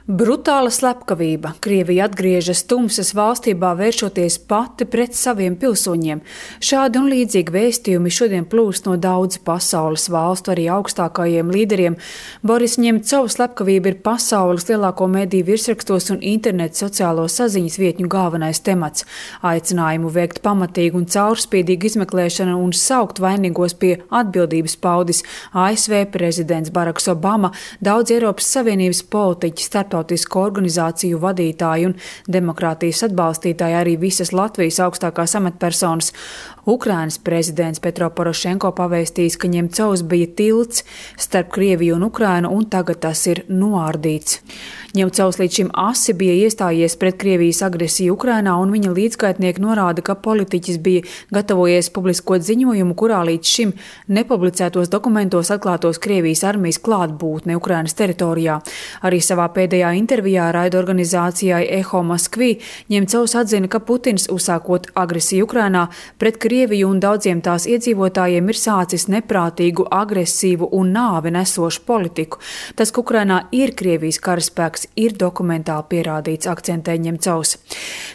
Brutāla slepkavība. Krievija atgriežas tumsas valstībā, vēršoties pati pret saviem pilsoņiem. Šādi un līdzīgi vēstījumi šodien plūst no daudzu pasaules valstu, arī augstākajiem līderiem. Boris Ņemcovs slepkavība ir pasaules lielāko mediju virsrakstos un internetu sociālo saziņas vietņu galvenais temats. Aicinājumu veikt pamatīgu un caurspīdīgu izmeklēšanu un saukt vainīgos pie atbildības paudis ASV prezidents Baraks Obama, daudz Eiropas Savienības politiķi, starptautisku organizāciju vadītāji un demokrātijas atbalstītāji, arī visas Latvijas augstākās amatpersonas. Ukrainas prezidents Petro Porošenko pavēstījis, ka Ņemcovs bija tilts starp Krieviju un Ukrainu, un tagad tas ir noārdīts. Ņemcovs līdz šim asi bija iestājies pret Krievijas agresiju Ukrainā, un viņa līdzgaitnieki norāda, ka politiķis bija gatavojies publiskot ziņojumu, kurā līdz šim nepublicētos dokumentos atklātos Krievijas armijas klātbūtne Ukrainas teritorijā. Arī savā pēdējā intervijā raidorganizācijai Eho Moskvi Ņemcovs atzina, ka Putins, uzsākot agresiju Ukrainā pret Krieviju un daudziem tās iedzīvotājiem, ir sācis neprātīgu, agresīvu un nāvi nesošu politiku. Tas, ka Ukrainā ir Krievijas karaspēks, ir dokumentāli pierādīts, akcentē Ņemcovs.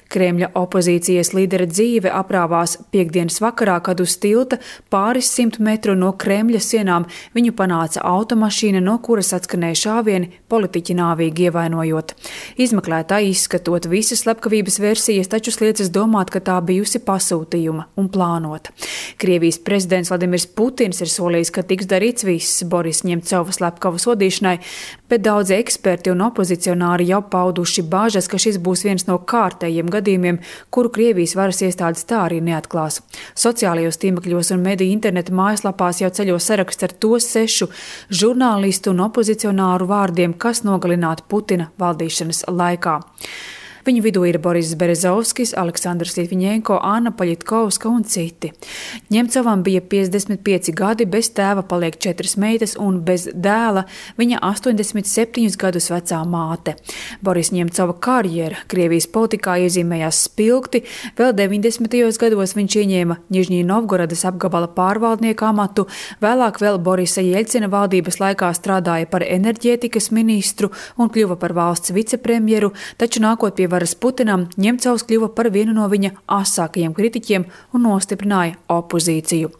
Kremļa opozīcijas līdera dzīve aprāvās piektdienas vakarā, kad uz tilta pāris 100 metru no Kremļa sienām viņu panāca automašīna, no kuras atskanēja šāvieni, politiķi nāvīgi ievainojot. Izmeklētāji izskatot visas slepkavības versijas, taču liecas domāt, ka tā bijusi pasūtījuma un plānota. Krievijas prezidents Vladimirs Putins ir solījis, ka tiks darīts viss Boris Ņemcova slepkavu sodīšanai, bet daudzi eksperti un opozicionāri jau pauduši bāžas, ka šis būs viens no kārtējiem gadījumiem, kuru Krievijas varas iestādes tā arī neatklās. Sociālajos tīmekļos un mediju interneta mājaslapās jau ceļo saraksts ar to 6 žurnālistu un opozicionāru vārdiem, kas nogalināti Putina valdīšanas laikā. Viņu vidū ir Boris Berezovskis, Aleksandrs Litviņenko, Anna Paļitkovska un citi. Ņemcovam bija 55 gadi, bez tēva paliek 4 meitas un bez dēla viņa 87 gadus vecā māte. Boris Ņemcova karjera Krievijas politikā iezīmējās spilgti, vēl 90. gados viņš ieņēma Ņižņī Novgorodas apgabala pārvaldnieka amatu, vēlāk vēl Borisa Jeļcina valdības laikā strādāja par enerģētikas ministru un kļuva par valsts vicepremjeru, taču nākot pie varas Putinam, Ņemcovs kļuva par vienu no viņa asākajiem kritiķiem un nostiprināja opozīciju.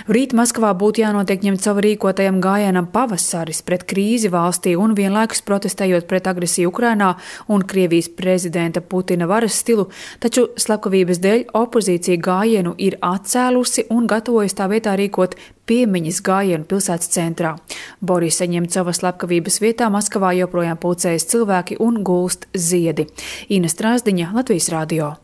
Rīt Maskavā būtu jānotiek Ņemcova rīkotajam gājienam Pavasaris pret krīzi valstī un vienlaikus protestējot pret agresiju Ukrainā un Krievijas prezidenta Putina varas stilu, taču slepkavības dēļ opozīcija gājienu ir atcēlusi un gatavojas tā vietā rīkot piemiņas gājienu pilsētas centrā. Borisa Ņemcova slepkavības vietā Maskavā joprojām pulcējas cilvēki un gulst ziedi. Ina Strāzdiņa, Latvijas radio.